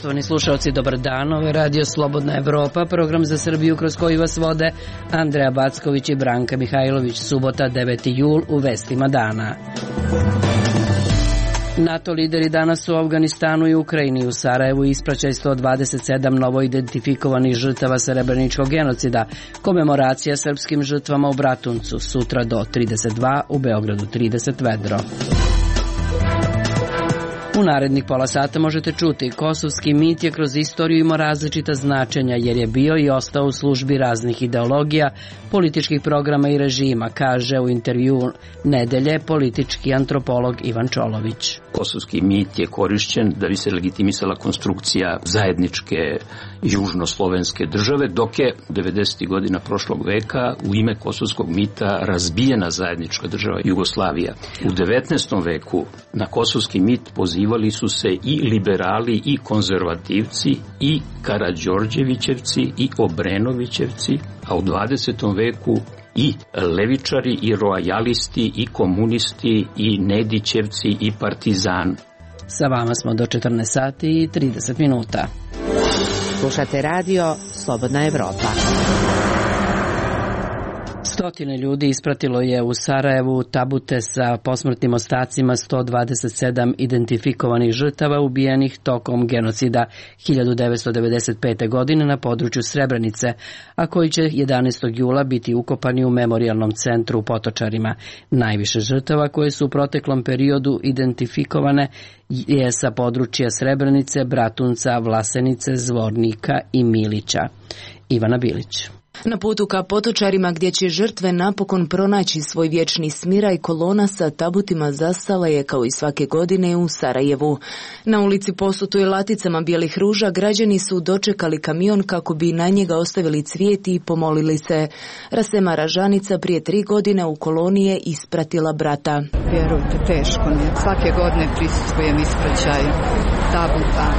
Poštovani slušalci, dobar dan. Ovo je Radio Slobodna Evropa, program za Srbiju kroz koji vas vode Andreja Backović i Branka Mihajlović. Subota, 9. jul, u vestima dana. NATO lideri danas u Afganistanu i Ukrajini. U Sarajevu ispraćaj 127 novo identifikovanih žrtava srebreničkog genocida. Komemoracija srpskim žrtvama u Bratuncu. Sutra do 32, u Beogradu 30 vedro. U narednih pola sata možete čuti: kosovski mit je kroz istoriju imao različita značenja jer je bio i ostao u službi raznih ideologija, političkih programa i režima, kaže u intervju Nedelje politički antropolog Ivan Čolović. Kosovski mit je korišćen da bi se legitimisala konstrukcija zajedničke južnoslovenske države, dok je 90. godina prošlog veka u ime kosovskog mita razbijena zajednička država Jugoslavija. U 19. veku na kosovski mit pozivali su se i liberali i konzervativci i Karađorđevićevci i Obrenovićevci, a u 20. veku i levičari i rojalisti i komunisti i Nedićevci i partizan. Sa vama smo do 14 sati i 30 minuta. Slušate radio Slobodna Evropa. Stotine ljudi ispratilo je u Sarajevu tabute sa posmrtnim ostacima 127 identifikovanih žrtava ubijenih tokom genocida 1995. godine na području Srebrenice, a koji će 11. jula biti ukopani u memorijalnom centru u Potočarima. Najviše žrtava koje su u proteklom periodu identifikovane je sa područja Srebrenice, Bratunca, Vlasenice, Zvornika i Milića. Ivana Bilić. Na putu ka Potočarima, gdje će žrtve napokon pronaći svoj vječni smiraj, kolona sa tabutima zastala je kao i svake godine u Sarajevu. Na ulici posutoj laticama bijelih ruža građani su dočekali kamion kako bi na njega ostavili cvijet i pomolili se. Rasema Ražanica prije 3 godine u koloni je ispratila brata. Vjerujte, teško mi je. Svake godine prisustvujem ispraćaju tabuta.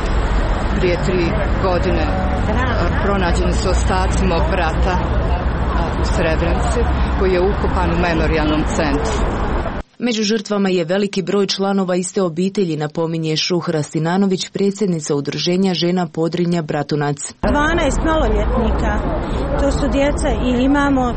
Prije 3 godine pronađeni su ostaci mog brata u Srebrenici, koji je ukopan u memorijalnom centru. Među žrtvama je veliki broj članova iste obitelji, napominje Šuhra Sinanović, predsjednica udruženja žena Podrinja Bratunac. 12 maloljetnika, to su djeca, i imamo 8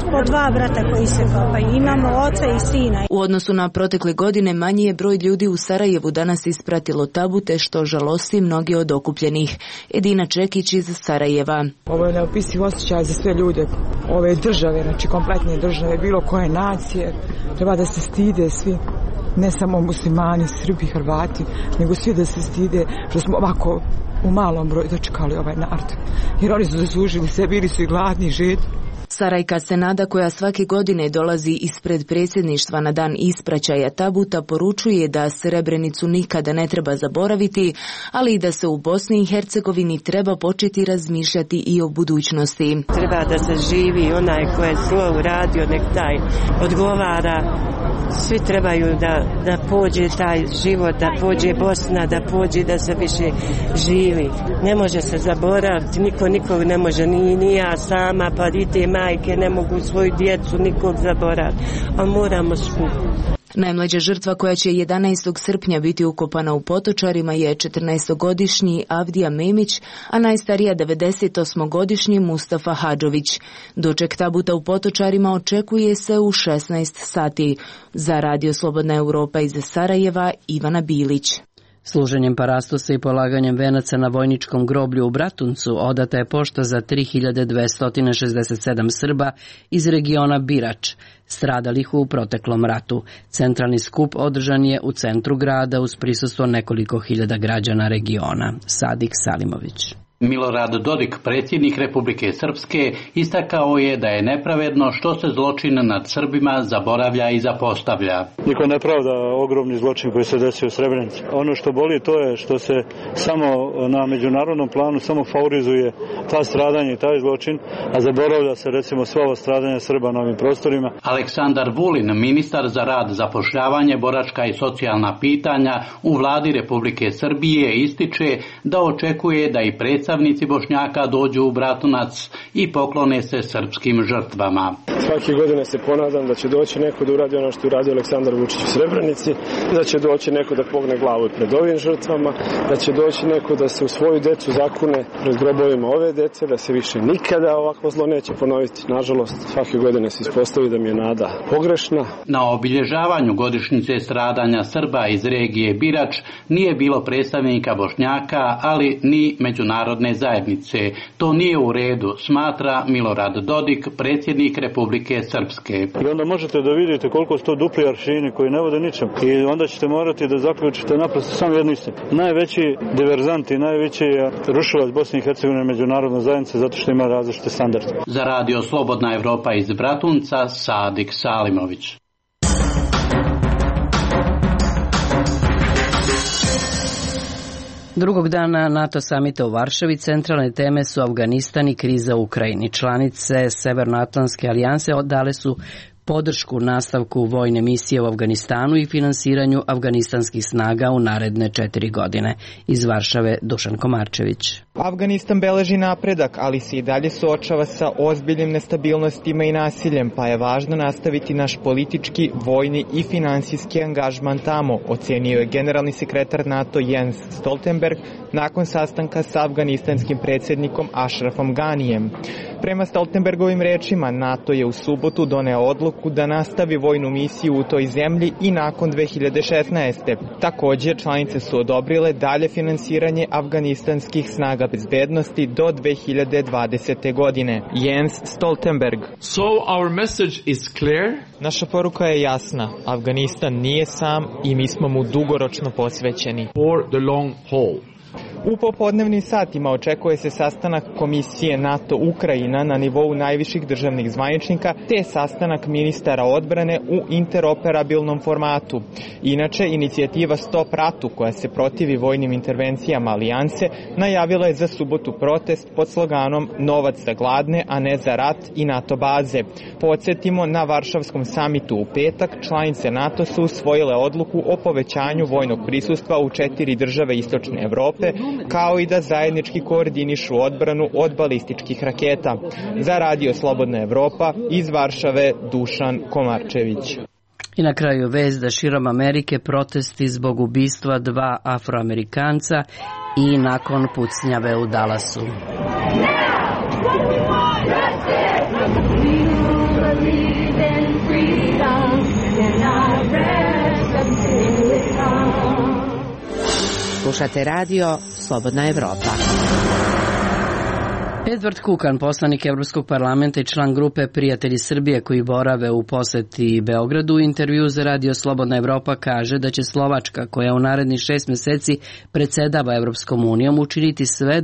po 2 brata koji se kopaju, imamo oca i sina. U odnosu na protekle godine manji je broj ljudi u Sarajevu danas ispratilo tabute, što žalosti mnogi od okupljenih. Edina Čekić iz Sarajeva. Ovo je neopisiv osjećaj za sve ljude ove države, znači kompletne države, bilo koje nacije. Treba da se stide svi, ne samo muslimani, Srbi, Hrvati, nego svi da se stide što smo ovako u malom broju dočekali ovaj narod. Jer oni su zaslužili sve, bili su i gladni, žedni. Sarajka Senada, koja svake godine dolazi ispred predsjedništva na dan ispraćaja tabuta, poručuje da Srebrenicu nikada ne treba zaboraviti, ali i da se u Bosni i Hercegovini treba početi razmišljati i o budućnosti. Treba da se živi, onaj ko je zlo uradio, nek taj odgovara. Svi trebaju da pođe taj život, da pođe Bosna, da pođe, da se više živi. Ne može se zaboraviti, niko nikog ne može, ni ja sama, pa i te majke ne mogu svoju djecu nikog zaboraviti, a moramo skupo. Najmlađa žrtva koja će 11. srpnja biti ukopana u Potočarima je 14-godišnji Avdija Memić, a najstarija 98-godišnji Mustafa Hadžović. Doček tabuta u Potočarima očekuje se u 16 sati. Za Radio Slobodna Evropa iz Sarajeva, Ivana Bilić. Služenjem parastosa i polaganjem venaca na vojničkom groblju u Bratuncu odata je pošta za 3267 Srba iz regiona Birač, stradalih u proteklom ratu. Centralni skup održan je u centru grada uz prisustvo nekoliko hiljada građana regiona. Sadik Salimović. Milorad Dodik, predsjednik Republike Srpske, istakao je da je nepravedno što se zločin nad Srbima zaboravlja i zapostavlja. Niko ne pravda ogromni zločin koji se desio u Srebrenici. Ono što boli to je što se samo na međunarodnom planu samo favorizuje ta stradanja i taj zločin, a zaboravlja se recimo sva ova stradanja Srba na ovim prostorima. Aleksandar Vulin, ministar za rad, zapošljavanje, boračka i socijalna pitanja u vladi Republike Srbije, ističe da očekuje da i predsjednik predstavnici Bošnjaka dođu u Bratunac i poklone se srpskim žrtvama. Svake godine se ponadam da će doći neko da uradi ono što je uradio Aleksandar Vučić u Srebrenici, da će doći neko da pogne glavu pred ovim žrtvama, da će doći neko da se u svoju decu zakune pred grobovima ove dece, da se više nikada ovakvo zlo neće ponoviti. Nažalost, svake godine se ispostavi da mi je nada pogrešna. Na obilježavanju godišnjice stradanja Srba iz regije Birač nije bilo predstavnika Bošnjaka, ali ni međunarodne zajednice. To nije u redu, smatra Milorad Dodik, predsjednik Republike Srpske. I onda možete da vidite koliko su to dupli aršini koji ne vode ničem. I onda ćete morati da zaključite naprosto samo jednu istinu. Najveći diverzant i najveći rušilac Bosne i Hercegovine međunarodna zajednica zato što ima različite standarde. Za radio Slobodna Evropa iz Bratunca, Sadik Salimović. Drugog dana NATO samita u Varšavi centralne teme su Afganistan i kriza u Ukrajini. Članice Severnoatlantske alijanse dale su podršku nastavku vojne misije u Afganistanu i finansiranju afganistanskih snaga u naredne 4 godine. Iz Varšave Dušan Komarčević. Afganistan beleži napredak, ali se i dalje suočava sa ozbiljnim nestabilnostima i nasiljem, pa je važno nastaviti naš politički, vojni i finansijski angažman tamo, ocenio je generalni sekretar NATO Jens Stoltenberg nakon sastanka sa afganistanskim predsjednikom Ashrafom Ganijem. Prema Stoltenbergovim rečima, NATO je u subotu doneo odluku da nastavi vojnu misiju u toj zemlji i nakon 2016. Također, članice su odobrile dalje finansiranje afganistanskih snaga bezbednosti do 2020. godine. Jens Stoltenberg. So our message is clear. Naša poruka je jasna. Afganistan nije sam i mi smo mu dugoročno posvećeni. For the long haul. U popodnevnim satima očekuje se sastanak Komisije NATO-Ukrajina na nivou najviših državnih zvaničnika te sastanak ministara odbrane u interoperabilnom formatu. Inače, inicijativa Stop ratu, koja se protivi vojnim intervencijama alijanse, najavila je za subotu protest pod sloganom Novac za gladne, a ne za rat i NATO baze. Podsjetimo, na Varšavskom samitu u petak članice NATO su usvojile odluku o povećanju vojnog prisustva u 4 države istočne Evrope, kao i da zajednički koordinišu odbranu od balističkih raketa. Za radio Slobodna Evropa iz Varšave Dušan Komarčević. I na kraju vest da širom Amerike protesti zbog ubistva 2 Afroamerikanca i nakon pucnjave u Dallasu. Slušate radio Slobodna Evropa. Edward Kukan, poslanik Evropskog parlamenta i član grupe Prijatelji Srbije koji borave u poseti Beogradu, u intervju za radio Slobodna Evropa kaže da će Slovačka, koja u narednih 6 meseci predsedava Evropskom unijom, učiniti sve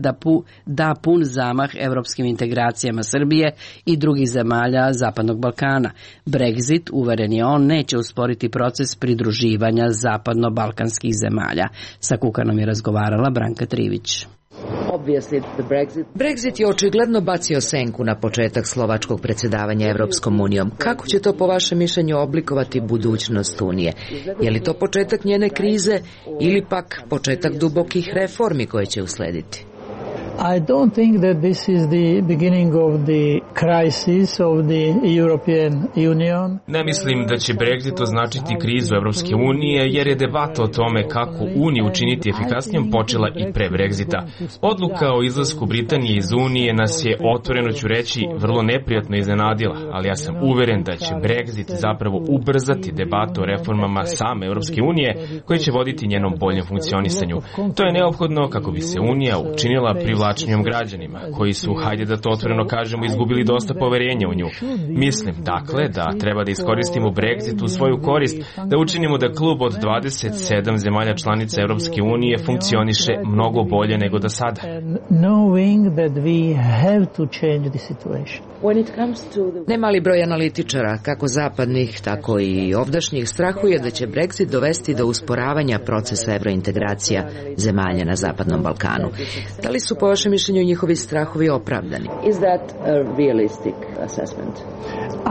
da pun zamah evropskim integracijama Srbije i drugih zemalja Zapadnog Balkana. Brexit, uveren je on, neće usporiti proces pridruživanja zapadno-balkanskih zemalja. Sa Kukanom je razgovarala Branka Trivić. Brexit je očigledno bacio senku na početak slovačkog predsjedavanja Evropskom unijom. Kako će to po vašem mišljenju oblikovati budućnost Unije? Je li to početak njene krize ili pak početak dubokih reformi koje će uslediti? I don't think that this is the beginning of the crisis of the European Union. Ne mislim da će Brexit označiti krizu Evropske unije, jer je debata o tome kako Uniju učiniti efikasnijom počela i pre Brexita. Odluka o izlasku Britanije iz Unije nas je, otvoreno ću reći, vrlo neprijatno iznenadila, ali ja sam uveren da će Brexit zapravo ubrzati debatu o reformama same Evropske unije, koje će voditi njenom boljem funkcionisanju. To je neophodno kako bi se Unija učinila privlačnijom građanima, koji su, hajde da to otvoreno kažemo, izgubili dosta poverenja u nju. Mislim, dakle, da treba da iskoristimo Brexit u svoju korist, da učinimo da klub od 27 zemalja članica Evropske unije funkcioniše mnogo bolje nego do sada. Nemali broj analitičara, kako zapadnih, tako i ovdašnjih, strahuje da će Brexit dovesti do usporavanja procesa evrointegracija zemalja na Zapadnom Balkanu. Da li su po vašem mišljenju njihovi strahovi opravdani? Is that a realistic assessment?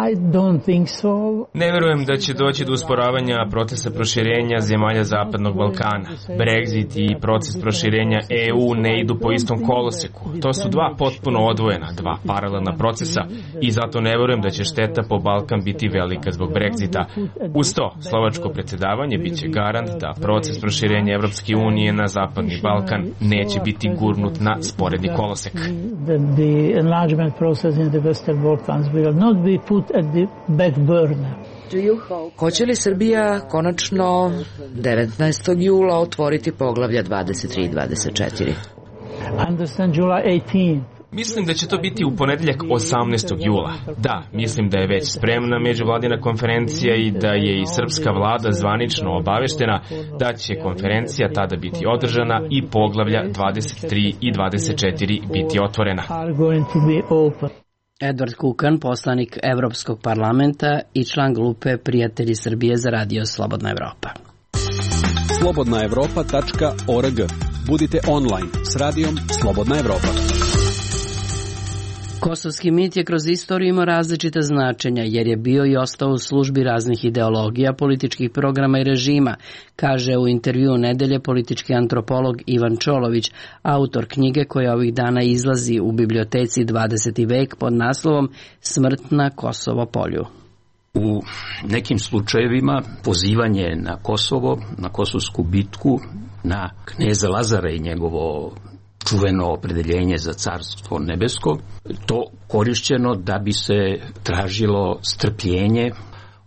I don't think so. Ne verujem da će doći do usporavanja procesa proširenja zemalja Zapadnog Balkana. Brexit i proces proširenja EU ne idu po istom koloseku. To su dva potpuno odvojena, dva paralelna procesa i zato ne verujem da će šteta po Balkan biti velika zbog Brexita. Uz to, slovačko predsjedavanje biće garant da proces proširenja Evropske unije na Zapadni Balkan neće biti gurnut na sporedni kolosek. The enlargement process in the Western Balkans will not be put at the back burner. Hoće li Srbija konačno 19. jula otvoriti poglavlja 23 i 24? Understand July 18. Mislim da će to biti u ponedeljak 18. jula. Da, mislim da je već spremna međuvladina konferencija i da je i srpska vlada zvanično obaveštena da će konferencija tada biti održana i poglavlja 23 i 24 biti otvorena. Edward Kukan, poslanik Evropskog parlamenta i član grupe Prijatelji Srbije za radio Slobodna Evropa. slobodnaevropa.org. Budite online s radijom Slobodna Evropa. Kosovski mit je kroz istoriju imao različita značenja, jer je bio i ostao u službi raznih ideologija, političkih programa i režima, kaže u intervjuu nedelje politički antropolog Ivan Čolović, autor knjige koja ovih dana izlazi u biblioteci 20. vek pod naslovom Smrt na Kosovo polju. U nekim slučajevima pozivanje na Kosovo, na Kosovsku bitku, na kneza Lazara i njegovo čuveno opredeljenje za carstvo nebesko, to korišćeno da bi se tražilo strpljenje,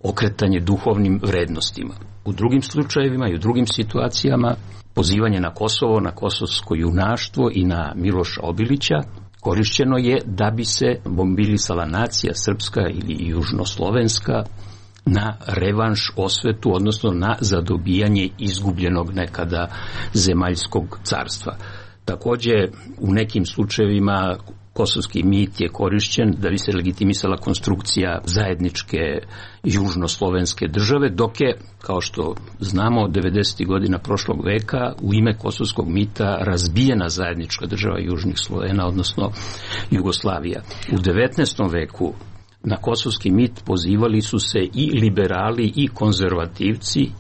okretanje duhovnim vrednostima. U drugim slučajevima i u drugim situacijama pozivanje na Kosovo, na kosovsko junaštvo i na Miloša Obilića korišćeno je da bi se mobilisala nacija srpska ili južnoslovenska na revanš, osvetu, odnosno na zadobijanje izgubljenog nekada zemaljskog carstva. Također, u nekim slučajevima kosovski mit je korišćen da bi se legitimisala konstrukcija zajedničke južnoslovenske države, dok je, kao što znamo, 90. godina prošlog veka u ime kosovskog mita razbijena zajednička država južnih Slovena, odnosno Jugoslavija. U 19. veku na kosovski mit pozivali su se i liberali i konzervativci,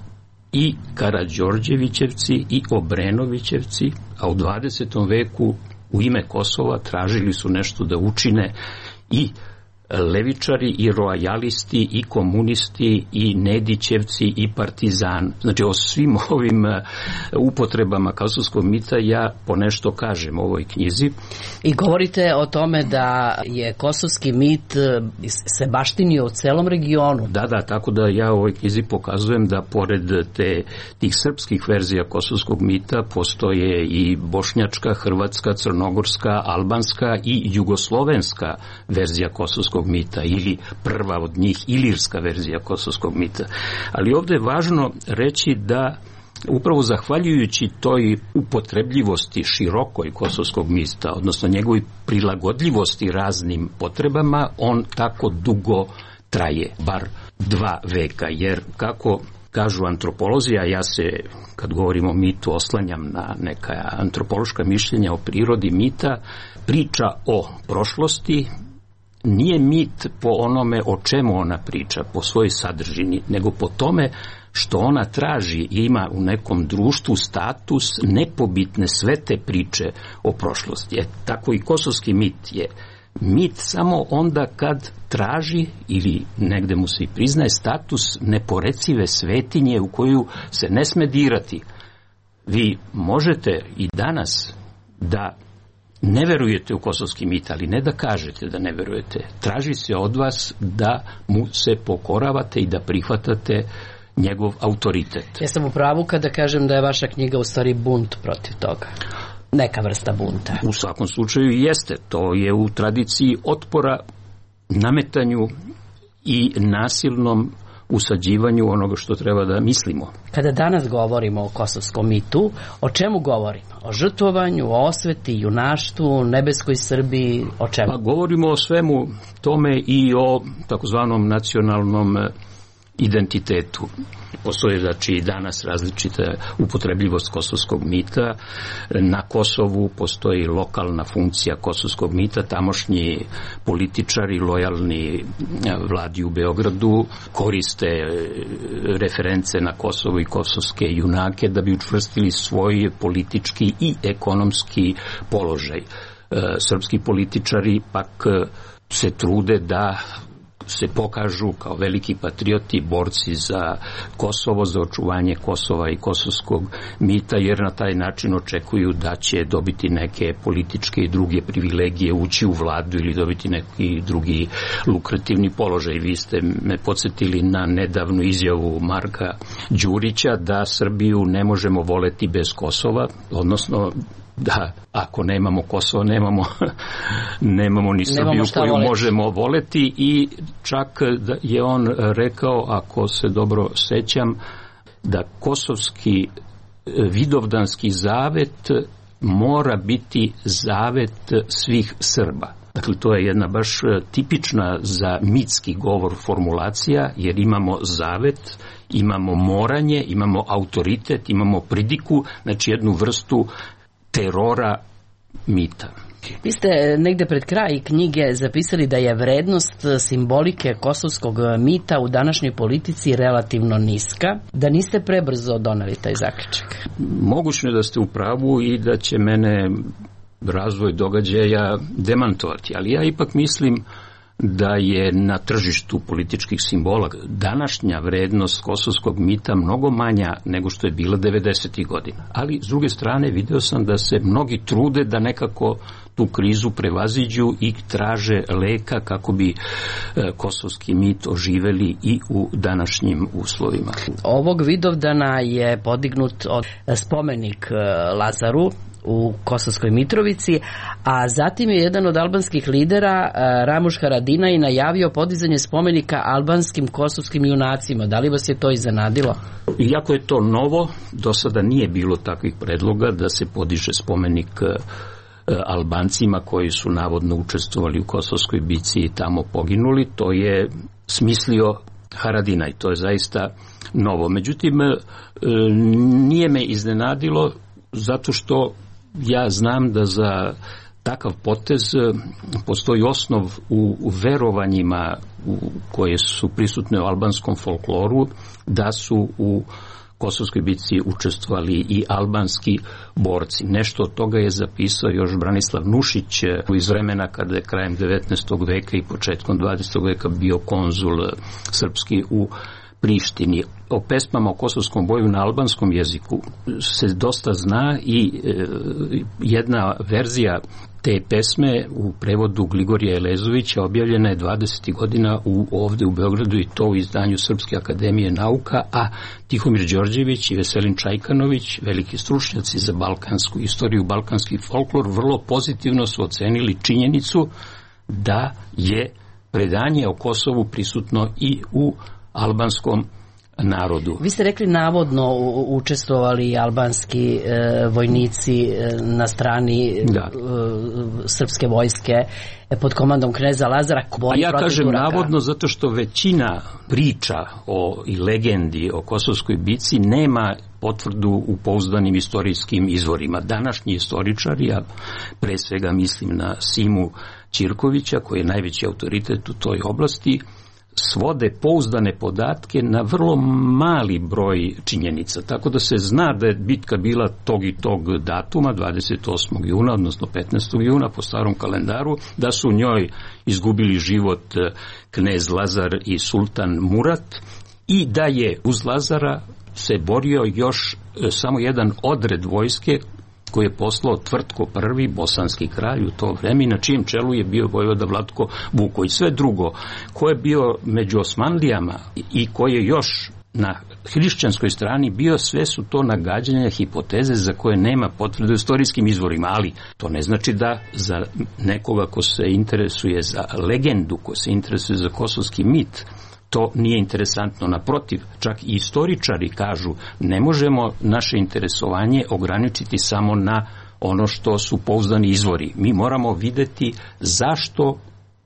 i Karađorđevićevci i Obrenovićevci, a u 20. veku u ime Kosova tražili su nešto da učine i levičari i rojalisti i komunisti i Nedićevci i partizan. Znači o svim ovim upotrebama kosovskog mita ja ponešto kažem u ovoj knjizi. I govorite o tome da je kosovski mit se baštinio u celom regionu. Da, tako da ja u ovoj knjizi pokazujem da pored tih srpskih verzija kosovskog mita postoje i bošnjačka, hrvatska, crnogorska, albanska i jugoslovenska verzija kosovskog mita, ili prva od njih ilirska verzija kosovskog mita. Ali ovdje je važno reći da upravo zahvaljujući toj upotrebljivosti širokoj kosovskog mita, odnosno njegovoj prilagodljivosti raznim potrebama, on tako dugo traje, bar 2 veka, jer kako kažu antropolozi, a ja se, kad govorimo o mitu, oslanjam na neka antropološka mišljenja o prirodi mita, priča o prošlosti nije mit po onome o čemu ona priča, po svojoj sadržini, nego po tome što ona traži i ima u nekom društvu status nepobitne sve te priče o prošlosti. Tako i kosovski mit je mit samo onda kad traži, ili negde mu se i priznaje, status neporecive svetinje u koju se ne sme dirati. Vi možete i danas da ne verujete u kosovski mit, ali ne da kažete da ne verujete. Traži se od vas da mu se pokoravate i da prihvatate njegov autoritet. Ja sam u pravu kada kažem da je vaša knjiga u stvari bunt protiv toga. Neka vrsta bunta. U svakom slučaju jeste. To je u tradiciji otpora nametanju i nasilnom usađivanju onoga što treba da mislimo. Kada danas govorimo o kosovskom mitu, o čemu govorimo? O žrtvovanju, o osveti, junaštvu, nebeskoj Srbiji, o čemu? Govorimo o svemu tome i o takozvanom nacionalnom identitetu. Postoje znači i danas različita upotrebljivost kosovskog mita. Na Kosovu postoji lokalna funkcija kosovskog mita. Tamošnji političari lojalni vladi u Beogradu koriste reference na Kosovo i kosovske junake da bi učvrstili svoj politički i ekonomski položaj. Srpski političari pak se trude da se pokažu kao veliki patrioti, borci za Kosovo, za očuvanje Kosova i kosovskog mita, jer na taj način očekuju da će dobiti neke političke i druge privilegije, ući u vladu ili dobiti neki drugi lukrativni položaj. Vi ste me podsjetili na nedavnu izjavu Marka Đurića da Srbiju ne možemo voleti bez Kosova, odnosno da ako nemamo Kosovo, nemamo ni Srbiju koju možemo voleti, i čak je on rekao, ako se dobro sećam, da kosovski vidovdanski zavet mora biti zavet svih Srba. Dakle, to je jedna baš tipična za mitski govor formulacija, jer imamo zavet, imamo moranje, imamo autoritet, imamo pridiku, znači jednu vrstu terora mita. Vi ste negde pred kraj knjige zapisali da je vrednost simbolike kosovskog mita u današnjoj politici relativno niska, da niste prebrzo doneli taj zaključak. Moguće je da ste u pravu i da će mene razvoj događaja demantovati, ali ja ipak mislim da je na tržištu političkih simbola današnja vrednost kosovskog mita mnogo manja nego što je bila 90. godina. Ali s druge strane video sam da se mnogi trude da nekako tu krizu prevaziđu i traže leka kako bi kosovski mit oživeli i u današnjim uslovima. Ovog Vidovdana je podignut spomenik Lazaru u Kosovskoj Mitrovici, a zatim je jedan od albanskih lidera, Ramuš Haradinaj, najavio podizanje spomenika albanskim kosovskim junacima. Da li vas je to iznenadilo? Iako je to novo, do sada nije bilo takvih predloga da se podiže spomenik Albancima koji su navodno učestvovali u Kosovskoj bici i tamo poginuli. To je smislio Haradinaj, to je zaista novo. Međutim, nije me iznenadilo zato što ja znam da za takav potez postoji osnov u verovanjima koje su prisutne u albanskom folkloru, da su u Kosovskoj bitci učestvovali i albanski borci. Nešto od toga je zapisao još Branislav Nušić iz vremena kada je krajem 19. veka i početkom 20. veka bio konzul srpski u Prištini. O pesmama o kosovskom boju na albanskom jeziku se dosta zna i jedna verzija te pesme u prevodu Gligorija Elezovića objavljena je 20. godina ovde u Beogradu, i to u izdanju Srpske akademije nauka, a Tihomir Đorđević i Veselin Čajkanović, veliki stručnjaci za balkansku istoriju, balkanski folklor, vrlo pozitivno su ocenili činjenicu da je predanje o Kosovu prisutno i u albanskom narodu. Vi ste rekli navodno učestvovali albanski vojnici na strani srpske vojske pod komandom kneza Lazara. A ja kažem navodno zato što većina priča i legendi o Kosovskoj bici nema potvrdu u pouzdanim istorijskim izvorima. Današnji istoričari, ja pre svega mislim na Simu Ćirkovića koji je najveći autoritet u toj oblasti, svode pouzdane podatke na vrlo mali broj činjenica. Tako da se zna da je bitka bila tog i tog datuma, 28. juna, odnosno 15. juna po starom kalendaru, da su u njoj izgubili život knez Lazar i sultan Murat, i da je uz Lazara se borio još samo jedan odred vojske koji je poslao Tvrtko I, bosanski kralj u to vreme, na čijem čelu je bio vojvoda Vlatko Vuković. Sve drugo, ko je bio među Osmanlijama i koji je još na hrišćanskoj strani bio, sve su to nagađanja, hipoteze za koje nema potvrde u istorijskim izvorima, ali to ne znači da za nekoga ko se interesuje za legendu, ko se interesuje za kosovski mit, to nije interesantno. Naprotiv, čak i istoričari kažu ne možemo naše interesovanje ograničiti samo na ono što su pouzdani izvori. Mi moramo videti zašto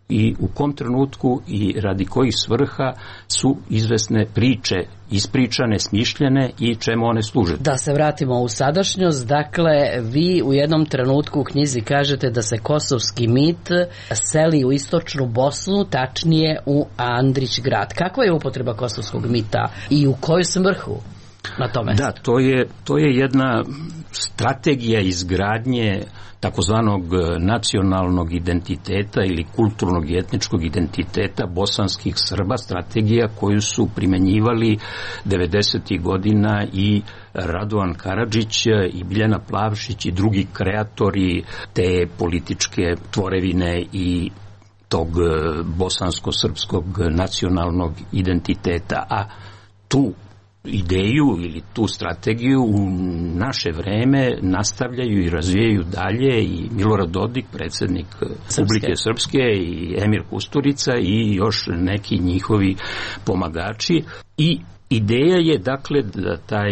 i u kom trenutku i radi kojih svrha su izvesne priče ispričane, smišljene i čemu one služe. Da se vratimo u sadašnjost, dakle, vi u jednom trenutku u knjizi kažete da se kosovski mit seli u istočnu Bosnu, tačnije u Andrić grad. Kakva je upotreba kosovskog mita i u koju svrhu na tome? Da, to je jedna strategija izgradnje takozvanog nacionalnog identiteta ili kulturnog i etničkog identiteta bosanskih Srba, strategija koju su primenjivali 90. godina i Radovan Karadžić i Biljana Plavšić i drugi kreatori te političke tvorevine i tog bosansko-srpskog nacionalnog identiteta. A tu ideju ili tu strategiju u naše vreme nastavljaju i razvijaju dalje i Milorad Dodik, predsjednik Republike Srpske, i Emir Kusturica i još neki njihovi pomagači. I ideja je dakle da taj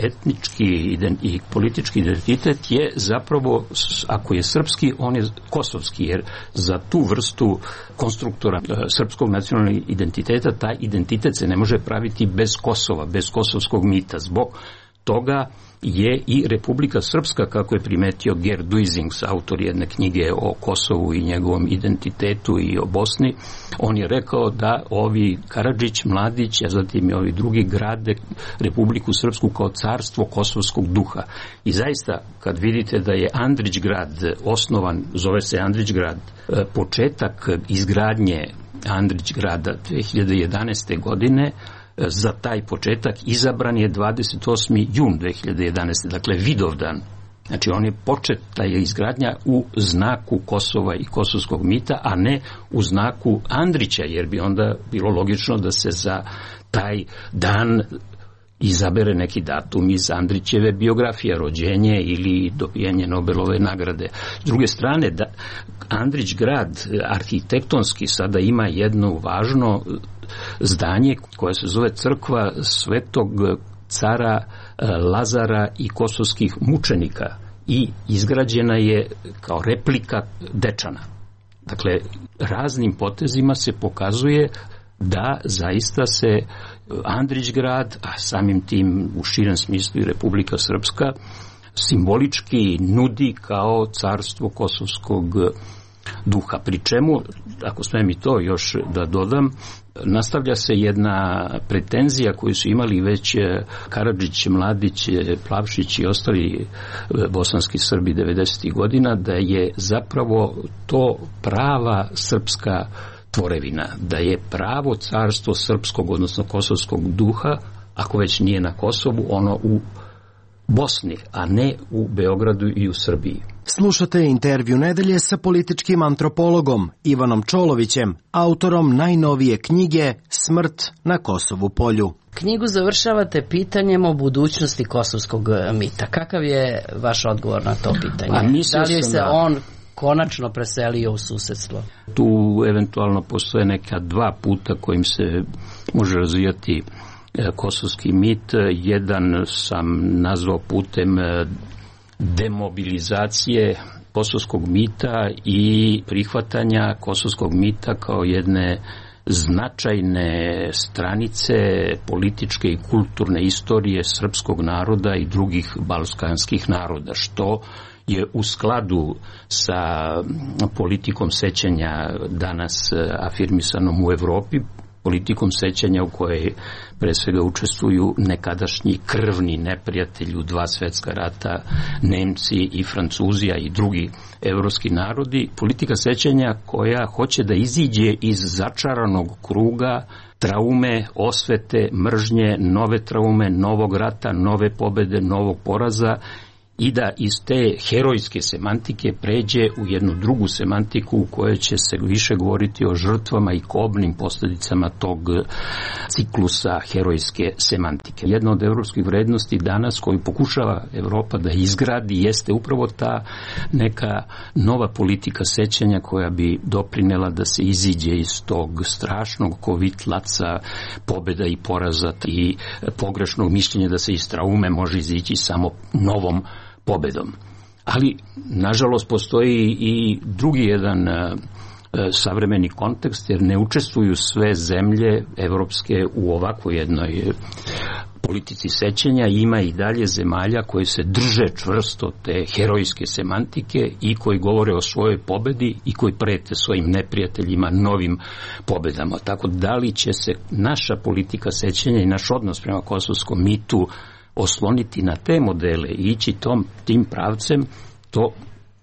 etnički i politički identitet je zapravo, ako je srpski, on je kosovski, jer za tu vrstu konstruktora srpskog nacionalnog identiteta, taj identitet se ne može praviti bez Kosova, bez kosovskog mita. Zbog toga je i Republika Srpska, kako je primetio Gerd Duisings, autor jedne knjige o Kosovu i njegovom identitetu i o Bosni, on je rekao da ovi Karadžić, Mladić, a zatim i ovi drugi grade Republiku Srpsku kao carstvo kosovskog duha. I zaista, kad vidite da je Andrić grad osnovan, zove se Andrić grad, početak izgradnje Andrić grada 2011. godine, za taj početak izabran je 28. jun 2011. Dakle, Vidovdan. Znači, on je počet, ta je izgradnja u znaku Kosova i kosovskog mita, a ne u znaku Andrića, jer bi onda bilo logično da se za taj dan izabere neki datum iz Andrićeve biografije, rođenje ili dobijanje Nobelove nagrade. S druge strane, Andrić grad arhitektonski sada ima jedno važno zdanje koje se zove crkva Svetog cara Lazara i kosovskih mučenika i izgrađena je kao replika Dečana. Dakle, raznim potezima se pokazuje da zaista se Andrić grad, a samim tim u širem smislu i Republika Srpska, simbolički nudi kao carstvo kosovskog duha. Pri čemu, ako smijem i to još da dodam, nastavlja se jedna pretenzija koju su imali već Karadžić, Mladić, Plavšić i ostali bosanski Srbi 90. godina, da je zapravo to prava srpska tvorevina, da je pravo carstvo srpskog, odnosno kosovskog duha, ako već nije na Kosovu, ono u Bosni, a ne u Beogradu i u Srbiji. Slušate intervju nedelje sa političkim antropologom Ivanom Čolovićem, autorom najnovije knjige Smrt na Kosovu polju. Knjigu završavate pitanjem o budućnosti kosovskog mita. Kakav je vaš odgovor na to pitanje? Da li se on konačno preselio u susedstvo? Tu eventualno postoje neka dva puta kojim se može razvijati kosovski mit. Jedan sam nazvao putem demobilizacije kosovskog mita i prihvatanja kosovskog mita kao jedne značajne stranice političke i kulturne istorije srpskog naroda i drugih balkanskih naroda, što je u skladu sa politikom sećanja danas afirmisanom u Evropi, politikom sećanja u kojoj pre svega učestvuju nekadašnji krvni neprijatelji u dva svjetska rata, Nemci i Francuzi, a i drugi evropski narodi. Politika sećanja koja hoće da iziđe iz začaranog kruga traume, osvete, mržnje, nove traume, novog rata, nove pobede, novog poraza i da iz te herojske semantike pređe u jednu drugu semantiku u kojoj će se više govoriti o žrtvama i kobnim posljedicama tog ciklusa herojske semantike. Jedna od evropskih vrednosti danas koju pokušava Evropa da izgradi jeste upravo ta neka nova politika sećanja koja bi doprinela da se iziđe iz tog strašnog kovitlaca pobjeda i poraza i pogrešnog mišljenja da se iz traume može izići samo novom pobedom. Ali, nažalost, postoji i drugi jedan savremeni kontekst, jer ne učestvuju sve zemlje evropske u ovakvoj jednoj politici sećanja. Ima i dalje zemalja koje se drže čvrsto te herojske semantike i koji govore o svojoj pobedi i koji prete svojim neprijateljima novim pobedama. Tako da li će se naša politika sećanja i naš odnos prema kosovskom mitu osloniti na te modele i ići tim pravcem, to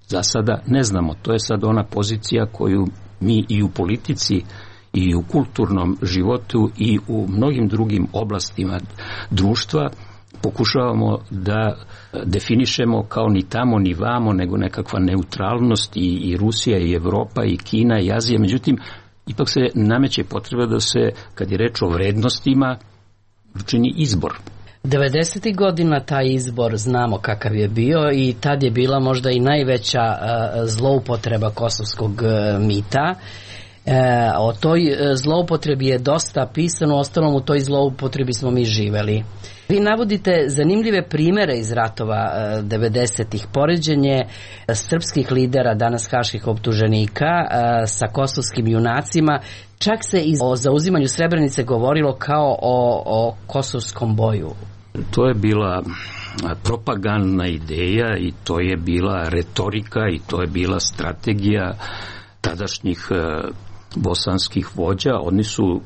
za sada ne znamo. To je sad ona pozicija koju mi i u politici i u kulturnom životu i u mnogim drugim oblastima društva pokušavamo da definišemo kao ni tamo ni vamo, nego nekakva neutralnost i Rusija i Evropa i Kina i Azija. Međutim, ipak se nameće potreba da se, kad je reč o vrednostima, učini izbor. 90. godina taj izbor znamo kakav je bio i tad je bila možda i najveća zloupotreba kosovskog mita. O toj zloupotrebi je dosta pisano, ostalom u toj zloupotrebi smo mi živeli. Vi navodite zanimljive primere iz ratova 90-ih, poređenje srpskih lidera, danas haških optuženika, sa kosovskim junacima. Čak se i o zauzimanju Srebrenice govorilo kao o kosovskom boju. To je bila propagandna ideja i to je bila retorika i to je bila strategija tadašnjih bosanskih vođa. Oni su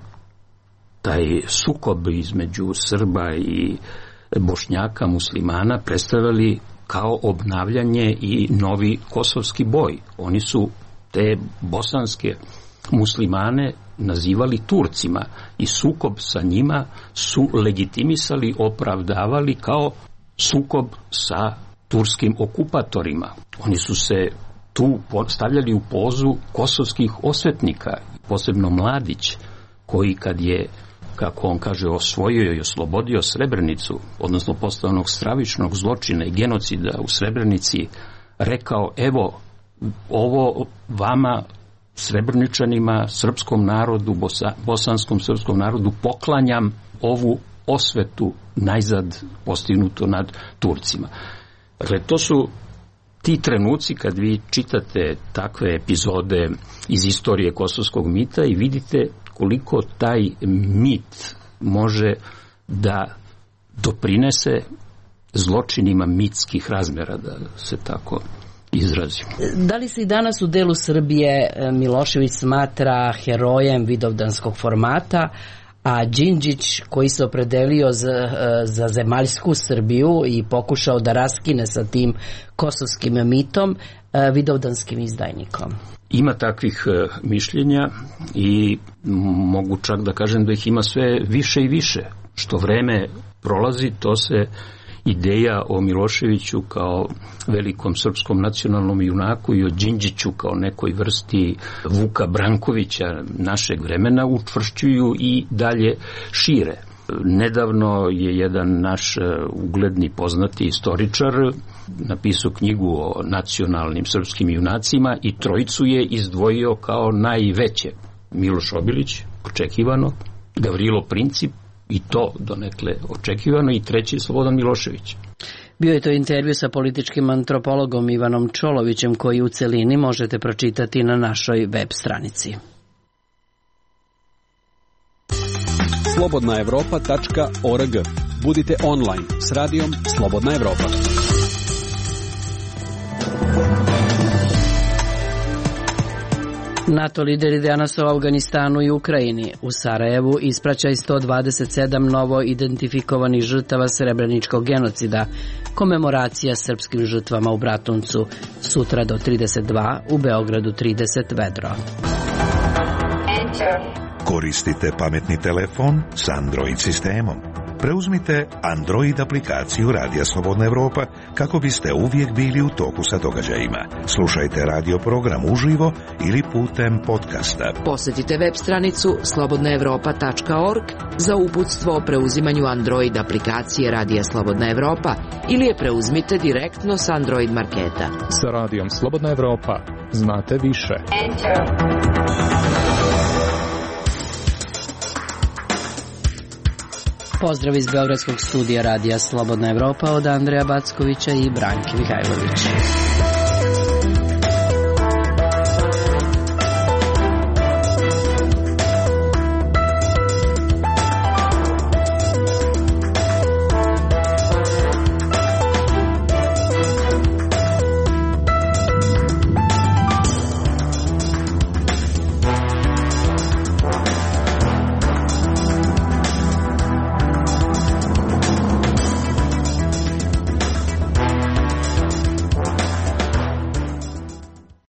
taj sukob između Srba i Bošnjaka, muslimana predstavljali kao obnavljanje i novi kosovski boj. Oni su te bosanske muslimane nazivali Turcima i sukob sa njima su legitimisali, opravdavali kao sukob sa turskim okupatorima. Oni su se tu stavljali u pozu kosovskih osvetnika, posebno Mladić, koji kad je, kako on kaže, osvojio i oslobodio Srebrenicu, odnosno posle onog stravičnog zločina i genocida u Srebrenici, rekao: evo, ovo vama, Srebrničanima, srpskom narodu, bosanskom srpskom narodu, poklanjam ovu osvetu najzad postignuto nad Turcima. Dakle, to su ti trenuci kad vi čitate takve epizode iz istorije kosovskog mita i vidite koliko taj mit može da doprinese zločinima mitskih razmjera, da se tako izrazim. Da li se i danas u delu Srbije Milošević smatra herojem vidovdanskog formata, a Đinđić, koji se opredelio za zemaljsku Srbiju i pokušao da raskine sa tim kosovskim mitom, vidovdanskim izdajnikom? Ima takvih mišljenja i mogu čak da kažem da ih ima sve više i više. Što vreme prolazi, to se ideja o Miloševiću kao velikom srpskom nacionalnom junaku i o Đinđiću kao nekoj vrsti Vuka Brankovića našeg vremena učvršćuju i dalje šire. Nedavno je jedan naš ugledni poznati istoričar napisao knjigu o nacionalnim srpskim junacima i trojicu je izdvojio kao najveće. Miloš Obilić, očekivano, Gavrilo Princip, i to donekle očekivano, i treći Slobodan Milošević. Bio je to intervju sa političkim antropologom Ivanom Čolovićem, koji u celini možete pročitati na našoj web stranici. slobodnaevropa.org. Budite online s radijom Slobodna Evropa. NATO lideri danas u Afganistanu i Ukrajini. U Sarajevu ispraćaj 127 novo identifikovanih žrtava srebreničkog genocida. Komemoracija srpskim žrtvama u Bratuncu. Sutra do 32, u Beogradu 30 vedro. Koristite pametni telefon s Android sistemom. Preuzmite Android aplikaciju Radija Slobodna Evropa kako biste uvijek bili u toku sa događajima. Slušajte radio program uživo ili putem podcasta. Posjetite web stranicu slobodnaevropa.org za uputstvo o preuzimanju Android aplikacije Radija Slobodna Evropa ili je preuzmite direktno s Android marketa. Sa Radijom Slobodna Evropa znate više. Pozdrav iz Beogradskog studija Radija Slobodna Evropa od Andreja Backovića i Branke Mihajlović.